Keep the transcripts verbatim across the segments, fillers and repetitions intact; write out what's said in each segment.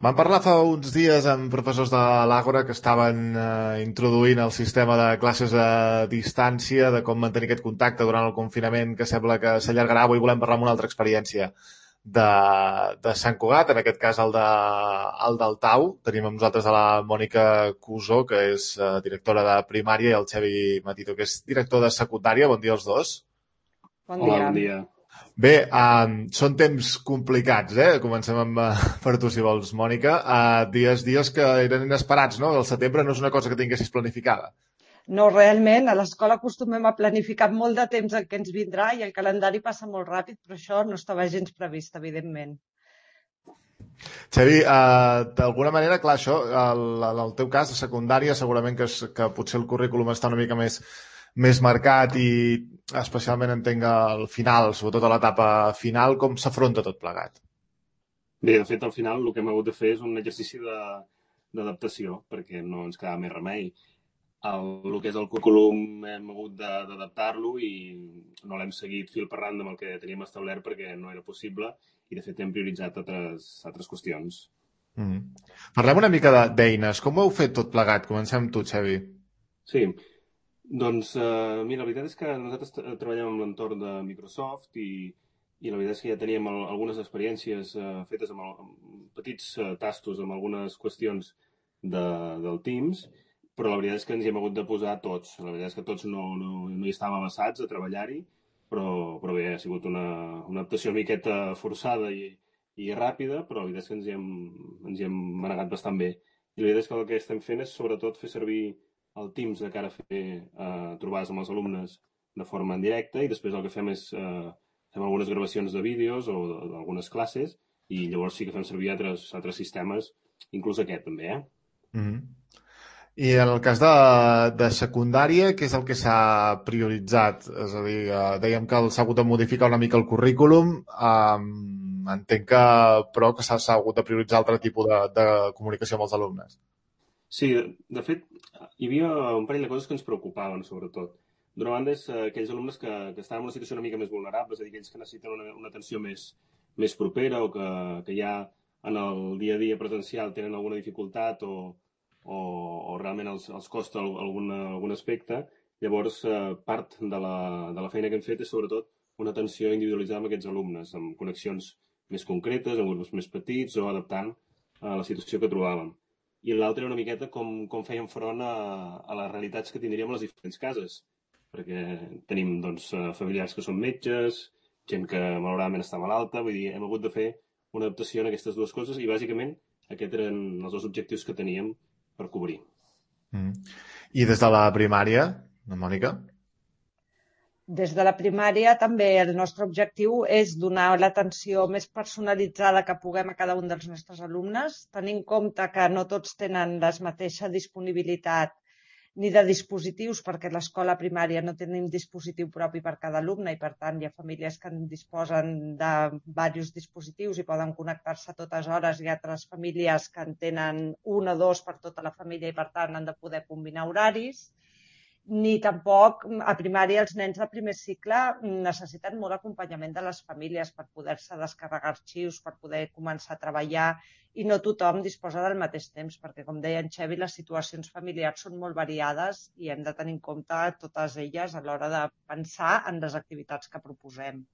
Vam parlar fa uns dies amb professors de l'Àgora que estaven eh, introduint el sistema de classes a distància, de com mantenir aquest contacte durant el confinament, que sembla que s'allargarà. Avui volem parlar amb una altra experiència de, de Sant Cugat, en aquest cas el, de, el del Tau. Tenim amb nosaltres a la Mònica Cusó, que és eh, directora de primària, i el Xevi Matito, que és director de secundària. Bon dia als dos. Bon Hola, dia. bon dia. Bé, um, són temps complicats, eh? Comencem amb, uh, per tu, si vols, Mònica. Uh, dies, dies que eren inesperats, no? El setembre no és una cosa que tinguessis planificada. No, realment, a l'escola acostumem a planificar molt de temps el que ens vindrà i el calendari passa molt ràpid, però això no estava gens previst, evidentment. Xavi, uh, d'alguna manera, clar, això, el, en el teu cas, de secundària, segurament que, és, que potser el currículum està una mica més més marcat i especialment entenc al final, sobretot a l'etapa final, com s'afronta tot plegat? Bé, de fet, al final el que hem hagut de fer és un exercici d'adaptació, perquè no ens quedava més remei. El, el que és el currículum hem hagut d'adaptar-lo i no l'hem seguit fil per randa amb el que teníem establert perquè no era possible i, de fet, hem prioritzat altres, altres qüestions. Mm. Parlem una mica d'eines. Com ho heu fet tot plegat? Comencem amb tu, Xavi. Sí, doncs, eh, mira, la veritat és que nosaltres treballem en l'entorn de Microsoft i, i la veritat és que ja teníem el, algunes experiències eh, fetes amb, el, amb petits eh, tastos, amb algunes qüestions de, del Teams, però la veritat és que ens hi hem hagut de posar tots. La veritat és que tots no, no, no hi estàvem avasats a treballar-hi, però, però bé, ha sigut una, una adaptació una miqueta forçada i, i ràpida, però la veritat és que ens hi hem, ens hi hem manegat bastant bé. I la veritat és que el que estem fent és sobretot fer servir el Teams de cara a fer eh, trobades amb els alumnes de forma en directe i després el que fem és eh, fem algunes gravacions de vídeos o d'algunes classes i llavors sí que fem servir altres, altres sistemes, inclús aquest també, eh? Mm-hmm. I en el cas de, de secundària, què és el que s'ha prioritzat? És a dir, eh, dèiem que s'ha hagut de modificar una mica el currículum, eh, entenc que, però que s'ha hagut de prioritzar altre tipus de, de comunicació amb els alumnes. Sí, de, de fet, hi havia un parell de coses que ens preocupaven, sobretot. D'una banda, és eh, aquells alumnes que, que estan en una situació una mica més vulnerable, és a dir, aquells que necessiten una, una atenció més, més propera o que, que ja en el dia a dia presencial tenen alguna dificultat o, o, o realment els, els costa algun, algun aspecte. Llavors, eh, part de la, de la feina que hem fet és sobretot una atenció individualitzada amb aquests alumnes, amb connexions més concretes, amb grups més petits o adaptant a la situació que trobàvem. I l'altre era una miqueta com, com fèiem front a, a les realitats que tindríem a les diferents cases, perquè tenim doncs, familiars que són metges, gent que malauradament està malalta, vull dir, hem hagut de fer una adaptació en aquestes dues coses i bàsicament aquests eren els dos objectius que teníem per cobrir. Mm. I des de la primària, Mònica? Des de la primària també el nostre objectiu és donar l'atenció més personalitzada que puguem a cada un dels nostres alumnes, tenint en compte que no tots tenen la mateixa disponibilitat ni de dispositius, perquè a l'escola primària no tenim dispositiu propi per cada alumne i, per tant, hi ha famílies que en disposen de diversos dispositius i poden connectar-se a totes hores i altres famílies que en tenen un o dos per tota la família i, per tant, han de poder combinar horaris. Ni tampoc a primària els nens de primer cicle necessiten molt acompanyament de les famílies per poder-se descarregar arxius, per poder començar a treballar i no tothom disposa del mateix temps perquè, com deia en Xevi, les situacions familiars són molt variades i hem de tenir en compte totes elles a l'hora de pensar en les activitats que proposem.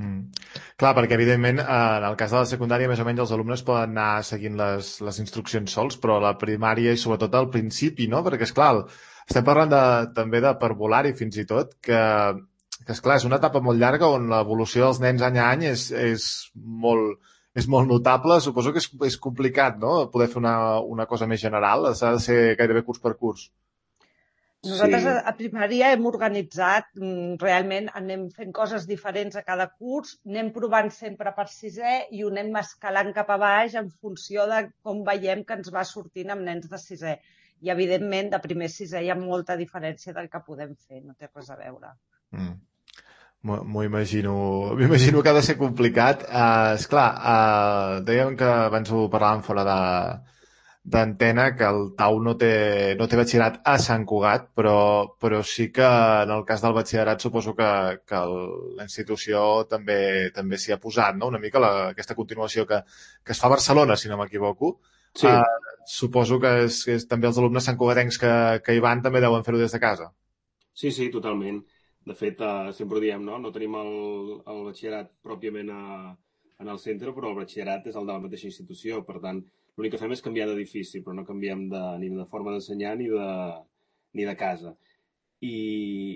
Mm. Clar, perquè evidentment en el cas de la secundària més o menys els alumnes poden anar seguint les, les instruccions sols, però a la primària i sobretot al principi, no? Perquè, esclar, estem parlant de, també de parvulari fins i tot, que, que esclar, és una etapa molt llarga on l'evolució dels nens any a any és, és, molt, és molt notable. Suposo que és, és complicat, no?, poder fer una, una cosa més general. S'ha de ser gairebé curs per curs. Nosaltres Sí. a primària hem organitzat, realment anem fent coses diferents a cada curs, anem provant sempre per sisè i ho anem escalant cap a baix en funció de com veiem que ens va sortint amb nens de sisè. I, evidentment, de primer a sisè hi ha molta diferència del que podem fer, no té res a veure. Mm. M'ho imagino, m'imagino que ha de ser complicat. Uh, esclar, uh, dèiem que abans ho parlàvem fora de, d'antena que el Tau no té, no té batxillerat a Sant Cugat, però, però sí que en el cas del batxillerat suposo que, que el, la institució també també s'hi ha posat, no? Una mica la, aquesta continuació que, que es fa a Barcelona, si no m'equivoco. Sí, Uh, suposo que, és, que és, també els alumnes santcugatencs que, que hi van també deuen fer-ho des de casa. sí, sí, totalment. De fet, eh, sempre ho diem, no? No tenim el, el batxillerat pròpiament a, en el centre, però el batxillerat és el de la mateixa institució. Per tant, l'únic que fem és canviar d'edifici, però no canviem de, ni de forma d'ensenyar ni de, ni de casa. I,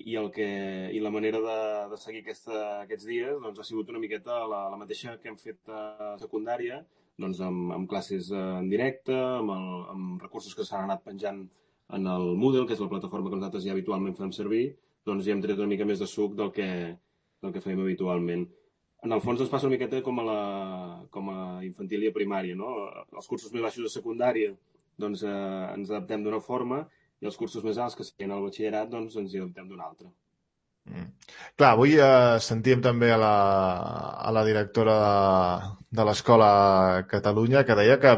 i, el que, i la manera de, de seguir aquesta, aquests dies doncs, ha sigut una miqueta la, la mateixa que hem fet a secundària, doncs, amb, amb classes eh, en directe, amb, el, amb recursos que s'han anat penjant en el Moodle, que és la plataforma que nosaltres ja habitualment fem servir, doncs ja hem tret una mica més de suc del que, del que fèiem habitualment. En el fons ens passa una miqueta com a, la, com a infantil i a primària, no? Els cursos més baixos de secundària doncs, eh, ens adaptem d'una forma i els cursos més alts que serien al batxillerat doncs ens hi adaptem d'una altra. Mm. Clar, avui eh, sentíem també a la, a la directora de, de l'Escola Catalunya que deia que,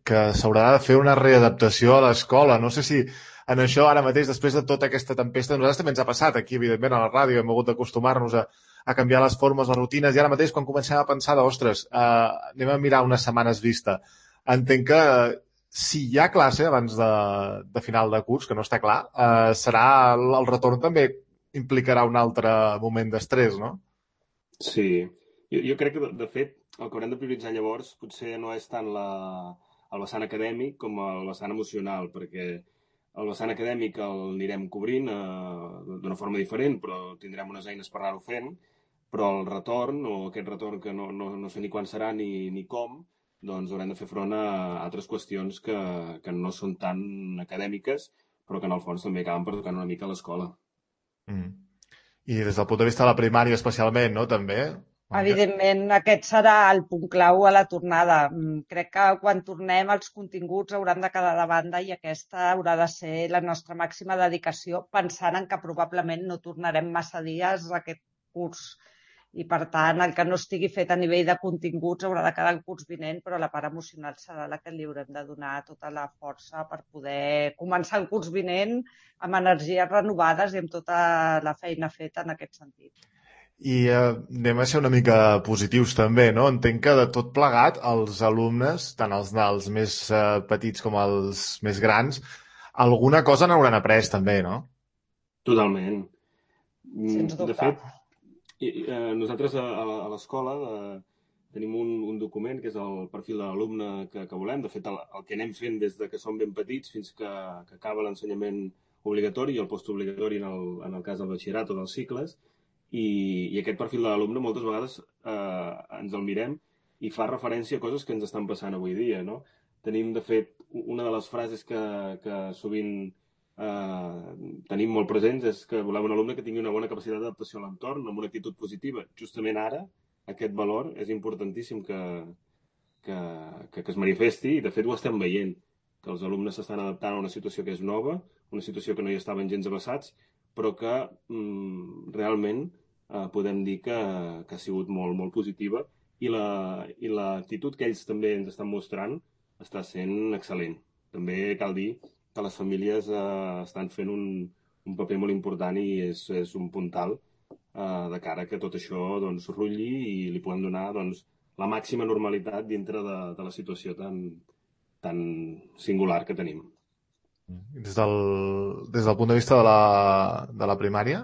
que s'haurà de fer una readaptació a l'escola. No sé si en això ara mateix, després de tota aquesta tempesta, a nosaltres també ens ha passat aquí, evidentment, a la ràdio, hem hagut d'acostumar-nos a, a canviar les formes, les rutines, i ara mateix quan comencem a pensar de, ostres, eh, anem a mirar unes setmanes vista. Entenc que si hi ha classe abans de, de final de curs, que no està clar, eh, serà el, el retorn també implicarà un altre moment d'estrès, no? Sí, jo, jo crec que, de, de fet, el que haurem de prioritzar llavors potser no és tant la, el vessant acadèmic com el vessant emocional, perquè el vessant acadèmic el anirem cobrint eh, d'una forma diferent, però tindrem unes eines per anar-ho fent, però el retorn, o aquest retorn que no, no, no sé ni quan serà ni, ni com, doncs haurem de fer front a altres qüestions que, que no són tan acadèmiques, però que en el fons també acaben pertocant una mica a l'escola. Mm. I des del punt de vista de la primària especialment, no? També? Evidentment, aquest serà el punt clau a la tornada. Mm, Crec que quan tornem els continguts hauran de quedar de banda i aquesta haurà de ser la nostra màxima dedicació, pensant en que probablement no tornarem massa dies a aquest curs. I, per tant, el que no estigui fet a nivell de continguts haurà de quedar el curs vinent, però la part emocional serà la que li haurem de donar tota la força per poder començar el curs vinent amb energies renovades i amb tota la feina feta en aquest sentit. I eh, anem a ser una mica positius també, no? Entenc que de tot plegat els alumnes, tant els dels més eh, petits com els més grans, alguna cosa n'hauran après també, no? Totalment. Sens De dubte. fet, I, eh, nosaltres a, a, a l'escola eh, tenim un, un document que és el perfil de l'alumne que, que volem. De fet, el, el que anem fent des de que som ben petits fins que, que acaba l'ensenyament obligatori i el postobligatori en el, en el cas del batxillerat o dels cicles. I, i aquest perfil de l'alumne moltes vegades eh, ens el mirem i fa referència a coses que ens estan passant avui dia, no? Tenim, de fet, una de les frases que, que sovint eh, tenim molt presents és que volem un alumne que tingui una bona capacitat d'adaptació a l'entorn, amb una actitud positiva. Justament ara, aquest valor és importantíssim que, que, que, que es manifesti i, de fet, ho estem veient, que els alumnes s'estan adaptant a una situació que és nova, una situació que no hi estaven gens avasats, però que mm, realment eh, podem dir que, que ha sigut molt, molt positiva i la, i l'actitud que ells també ens estan mostrant està sent excel·lent. També cal dir que les famílies eh, estan fent un, un paper molt important i és, és un puntal eh, de cara que tot això doncs, rutlli i li puguem donar doncs, la màxima normalitat dintre de, de la situació tan, tan singular que tenim. Des del, des del punt de vista de la, de la primària?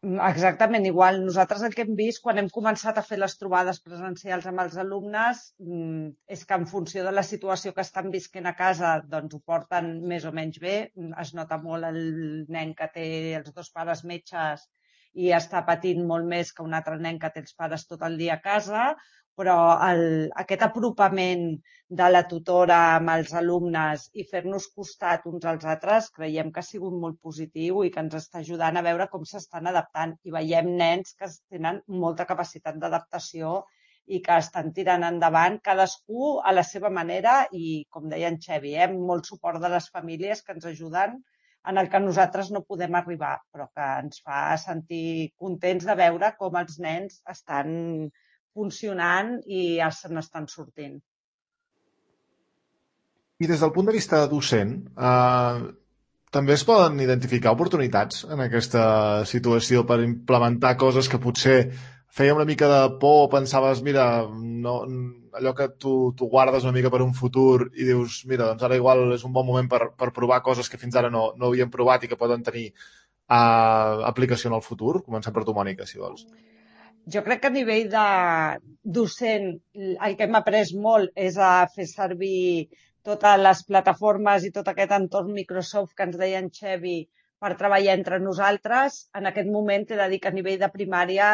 Exactament igual. Nosaltres el que hem vist quan hem començat a fer les trobades presencials amb els alumnes mm, és que en funció de la situació que estan visquent a casa doncs ho porten més o menys bé. Es nota molt el nen que té els dos pares metges i està patint molt més que un altre nen que té els pares tot el dia a casa, però el, aquest apropament de la tutora amb els alumnes i fer-nos costat uns als altres creiem que ha sigut molt positiu i que ens està ajudant a veure com s'estan adaptant. I veiem nens que tenen molta capacitat d'adaptació i que estan tirant endavant cadascú a la seva manera i, com deia en Xevi, eh, molt suport de les famílies que ens ajuden en el que nosaltres no podem arribar, però que ens fa sentir contents de veure com els nens estan funcionant i se n'estan sortint. I des del punt de vista docent, eh, també es poden identificar oportunitats en aquesta situació per implementar coses que potser feia una mica de por, pensaves, mira, no, allò que tu, tu guardes una mica per un futur i dius, mira, doncs ara igual és un bon moment per, per provar coses que fins ara no, no havíem provat i que poden tenir uh, aplicació en el futur? Comencem per tu, Mònica, si vols. Jo crec que a nivell de docent el que hem après molt és a fer servir totes les plataformes i tot aquest entorn Microsoft que ens deia en Xevi per treballar entre nosaltres. En aquest moment he de dir que a nivell de primària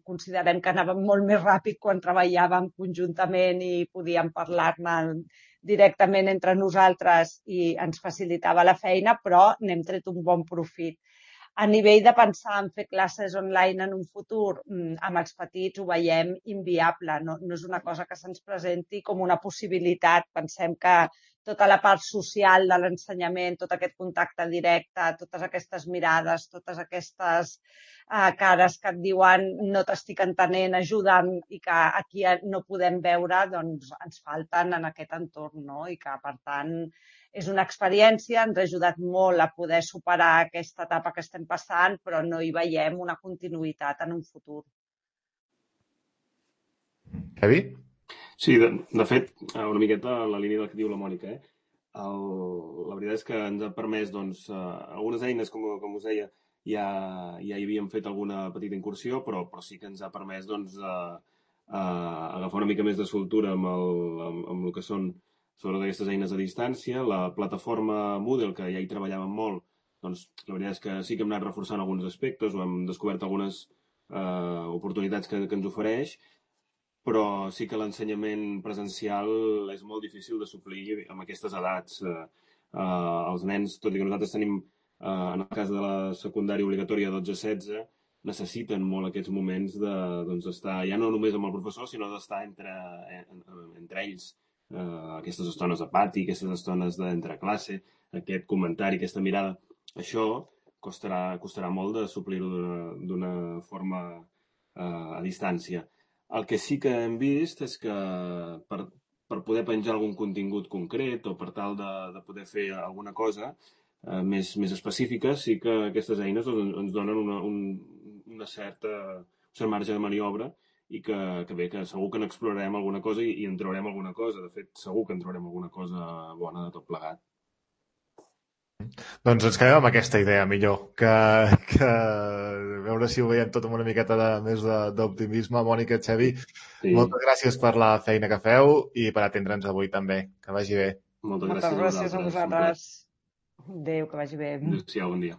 considerem que anàvem molt més ràpid quan treballàvem conjuntament i podíem parlar-ne directament entre nosaltres i ens facilitava la feina, però n'hem tret un bon profit. A nivell de pensar en fer classes online en un futur, amb els petits ho veiem inviable. No, no és una cosa que se'ns presenti com una possibilitat. Pensem que tota la part social de l'ensenyament, tot aquest contacte directe, totes aquestes mirades, totes aquestes uh, cares que et diuen no t'estic entenent, ajuda'm, i que aquí no podem veure, doncs ens falten en aquest entorn, no? I que, per tant, és una experiència, ens ha ajudat molt a poder superar aquesta etapa que estem passant, però no hi veiem una continuïtat en un futur. Xavi? Sí, de, de fet, una miqueta en la línia del que diu la Mònica. Eh? El, la veritat és que ens ha permès, doncs, algunes eines, com, com us deia, ja, ja hi havíem fet alguna petita incursió, però, però sí que ens ha permès, doncs, a, a agafar una mica més de soltura amb el, amb, amb el que són sobre aquestes eines a distància. La plataforma Moodle, que ja hi treballàvem molt, doncs la veritat és que sí que hem anat reforçant alguns aspectes, o hem descobert algunes eh, oportunitats que, que ens ofereix, però sí que l'ensenyament presencial és molt difícil de suplir amb aquestes edats. Eh, eh, els nens, tot i que nosaltres tenim, eh, en el cas de la secundària obligatòria dotze setze, necessiten molt aquests moments de, doncs, estar ja no només amb el professor, sinó d'estar entre, entre ells. Uh, aquestes estones de pati, aquestes estones d'entre classe, aquest comentari, aquesta mirada, això costarà, costarà molt de suplir-ho d'una forma uh, a distància. El que sí que hem vist és que per, per poder penjar algun contingut concret o per tal de, de poder fer alguna cosa uh, més, més específica, sí que aquestes eines ens, ens donen una, un, una certa, un cert marge de maniobra i que, que bé, que segur que n'explorarem alguna cosa i, i en trobarem alguna cosa. De fet, segur que en trobarem alguna cosa bona de tot plegat. Doncs ens quedem amb aquesta idea, millor, que, que veure si ho veiem tot amb una miqueta de, més d'optimisme. Mònica, Xavi, sí. Moltes gràcies per la feina que feu i per atendre'ns avui també. Que vagi bé. Moltes, Moltes gràcies, gràcies a vosaltres. Adéu, que vagi bé. Adéu, bon dia.